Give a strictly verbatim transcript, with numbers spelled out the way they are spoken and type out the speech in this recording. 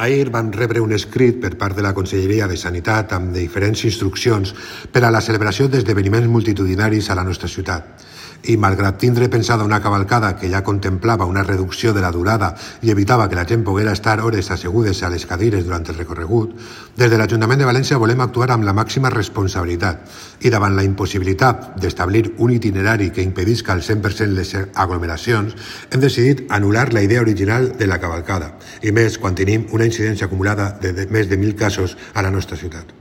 Ahir vam rebre un escrit per part de la Conselleria de Sanitat amb diferents instruccions per a la celebració d'esdeveniments multitudinaris a la nostra ciutat. I malgrat tindre pensada una cavalcada que ja contemplava una reducció de la durada i evitava que la gent poguera estar hores assegudes a les cadires durant el recorregut, des de l'Ajuntament de València volem actuar amb la màxima responsabilitat i davant la impossibilitat d'establir un itinerari que impedisca al cent per cent les aglomeracions, hem decidit anul·lar la idea original de la cavalcada, i més quan tenim una incidència acumulada de més de mil casos a la nostra ciutat.